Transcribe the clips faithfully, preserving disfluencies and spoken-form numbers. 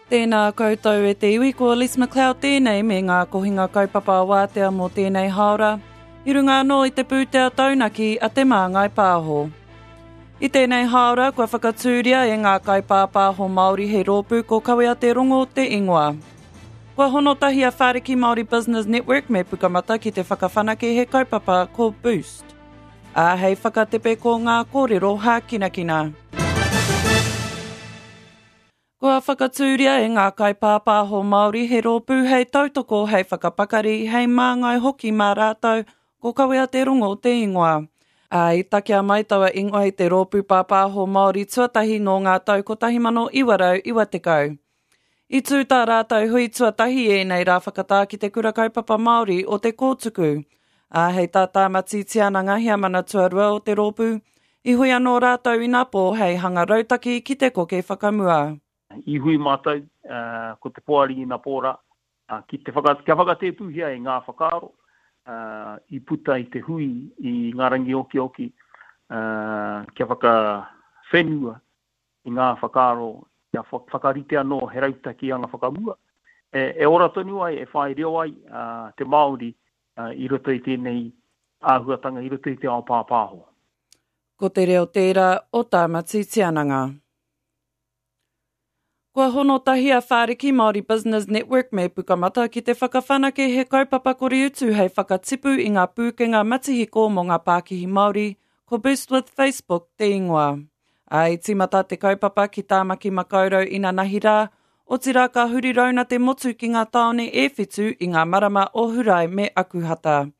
Tēnā koutou e te iwi, ko Elise McLeod tēnei me ngā kohinga kaupapa wātea mō tēnei haora, i runga anō i te pūtea taunaki a Te Māngai Pāho. I tēnei haora kua whakatūria e ngā kaipāpāho Māori he rōpū ko Kawea Te Rongo te ingoa. Kua hono tahi a Whāriki Māori Business Network me Pukamata ki te whakawhanake he kaupapa ko Boost. Ā, hei whakatepe ko ngā kōrero hākinakina. Kua whakatūria e ngā kaipāpāho Māori he rōpū hei tautoko, hei whakapakari, hei māngai hoki mā rātou, ko Kawea Te Rongo te ingoa. Ā, i takea mai taua ingoa i te rōpū pāpāho Māori tuatahi nō ngā tau kotahi mano iwa rau iwa tekau. I tū tā rātou hui tuatahi ēnei rā whakatā ki te kura kaupapa Māori o te Kōtuku. Ā, hei tā Tāmati Tiananga heamana tuarua o te rōpū, i hui anō rātou inapō hei hanga rautaki ki te koke whakamua. I hui mātou, ko te poari inapō rā, ki te whaka, kia whakatēpūhia e ngā whakaaro, i puta i te hui i ngā rangi okioki, kia whakawhenua i ngā whakaaro, kia whakarite anō he rautaki anga whakamua, e, e ora tonu ai, e whai reo ai te Māori i roto i tēnei āhuatanga, i roto i te ao pāpāho. Ko te reo tērā o Tāmati Tiananga. Kua hono tahi a Whāriki Māori Business Network me Pukamata ki te whakawhanake he kaupapa kore utu hei whakatipu i ngā pūkenga matihiko mō ngā pākihi Māori, ko Boost with Facebook te ingoa. Ā, i tīmata te kaupapa ki Tāmaki Makaurau inanahi rā, otirā ka huri rauna te motu ki ngā tāone e whitu i ngā marama o Hurae me Akuhata.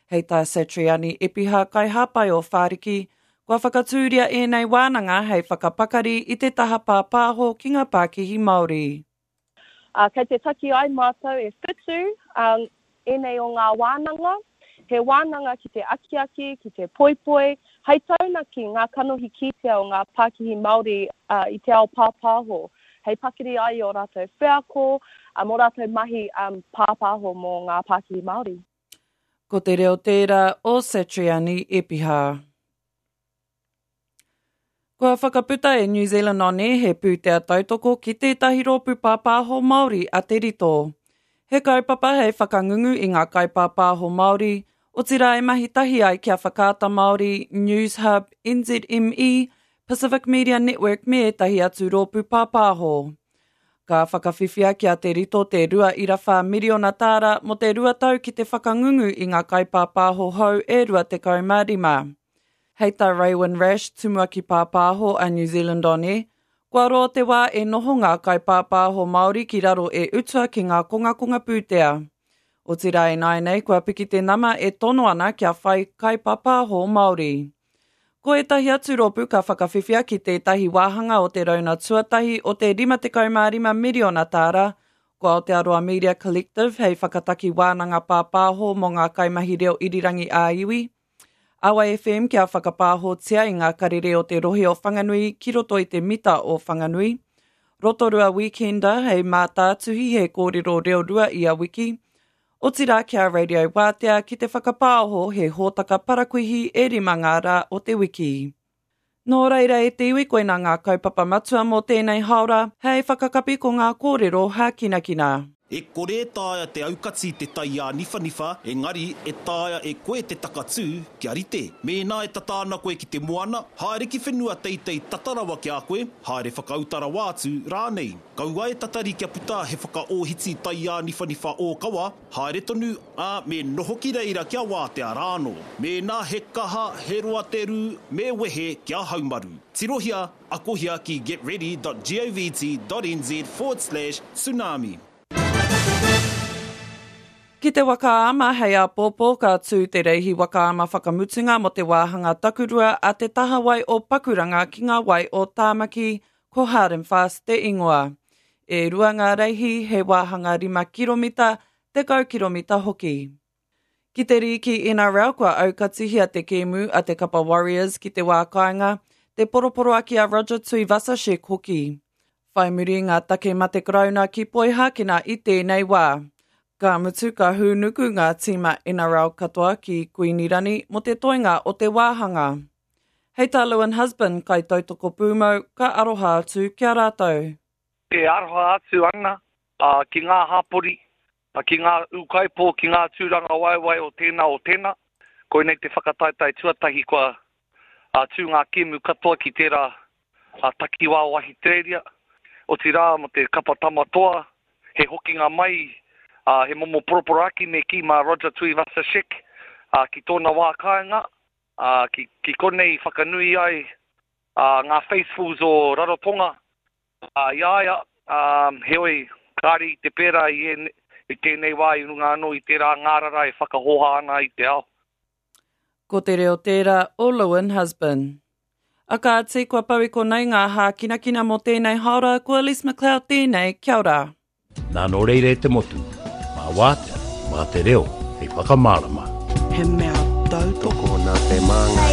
Hei tā Satriani Epiha kaihāpai o Whāriki, kua whakatūria ēnei wānanga hei whakapakari i te taha pāpāho ki ngā pākihi Māori. Uh, kei te taki ai mātou e whitu um, ēnei o ngā wānanga. He wānanga ki te akiaki, ki te poipoi, hei taunaki ngā kanohi kitea o ngā pākihi Māori uh, i te ao pāpāho. Hei pakiri ai o rātou wheako, uh, mō rātou mahi um, pāpāho mō ngā pākihi Māori. Ko te reo tērā o Satriani Epiha. Kua whakaputa e New Zealand On Air he pūtea tautoko ki tētahi rōpū pāpāho Māori a Te Rito. He kaupapa hei whakangungu i ngā kaipāpāho Māori, otirā e mahi tahi ai kia Whakaata Māori, News Hub, N Z M E, Pacific Media Network me ētahi atu rōpū pāpāho. Ka whakawhiwhia ki a Te Rito te rua ira whā miriona tāra mō te rua tau ki te whakangungu i ngā kaipāpāho hou e rua tekau mā rima. Hei tā Raywin Rash, tumuaki pāpāho a New Zealand On Air, kua roa te wā e noho ngā kaipāpāho Māori ki raro e utua ki ngā kongakonga pūtea. Otirā e nāianei, kua piki te nama e tono ana kia whai kaipāpāho Māori. Ko ētahi atu rōpū ka whakawhiwhia ki tētahi wāhanga o te rauna tuatahi o te rima tekau mā rima miriona tāra, ko Aotearoa Media Collective hei whakataki wānanga pāpāho mō ngā kaimahi reo irirangi ā-iwi, Awa F M kia whakapāhotia i ngā karere o te rohe o Whanganui ki roto i te mita o Whanganui, Rotorua Weekender hei mātātuhi he kōrero reo rua ia wiki, otirā kia Radio Wātea ki te whakapāho he hōtaka parakuihi e rima ngā rā o te wiki. Nō reira e te iwi koina ngā kaupapa matua mō tēnei haora, hei whakakapi ko ngā kōrero hākinakina. E kore e taea te aukati te tai āniwhaniwha, engari e taea e koe te takatū kia rite. Mēnā e tata ana koe ki te moana, haere ki whenua teitei tata rawa ki a koe, haere whakauta rawa atu rānei. Kaua e tatari kia puta he whakaōhiti tai āniwhaniwha ōkawa, haere tonu, ā, me noho ki reira kia wātea rānō. Mēnā he kaha, he roa te rū, me wehe kia haumaru. Tirohia, akohia ki getready dot govt dot nz forward slash tsunami. Ki te wakaama hei āpōpō ka tū te reihi wakaama whakamutunga mō te wāhanga takurua a te tahawai o Pakuranga ki ngā wai o Tāmaki, ko Hard and Fast te ingoa. E rua ngā reihi he wāhanga rima kiromita, tekau kiromita hoki. Ki te rīki N R L kua aukatihia te kēmu a te Kapa Warriors ki te wā kāinga, te poroporoaki a Roger Tuivasa-Sheck hoki. Whai muri ngā take mate karauna ki Poihākena i tēnei wā. Ka mutu ka hūnuku ngā tīma N R L katoa ki Kuinirani mō te toenga o te wāhanga. Hei tā Lewin Husband, kai tautoko pūmau, ka aroha atu ki a rātou. E aroha atu ana ki ngā hapori, ki ngā ūkaipō, ki ngā tūrangawaewae o tēnā o tēnā. Koinei te whakataetae tuatahi kua tū ngā kēmu katoa ki tērā takiwā o Ahitereiria. Otirā mō te kapa Tama Toa, he hokinga mai, he momo poroporoaki me kī mā Roger Tuivasa-Sheck ki tōna wā kāinga, ki konei whakanui ai ngā faithfuls o Rarotonga i a ia, heoi, kāre i te pērā i tēnei wā i runga anō i tērā ngārara e whakahoha ana i te ao. Ko te reo tērā o Lewin Husband. A kāti, kua pau i konei ngā hākinakina mō tēnei haora, ko Elise McLeod tēnei, kia ora. Nā nō reira e te motu, mā wātea, mā te reo, hei whakamārama. He mea tautoko. Tokona te māngai.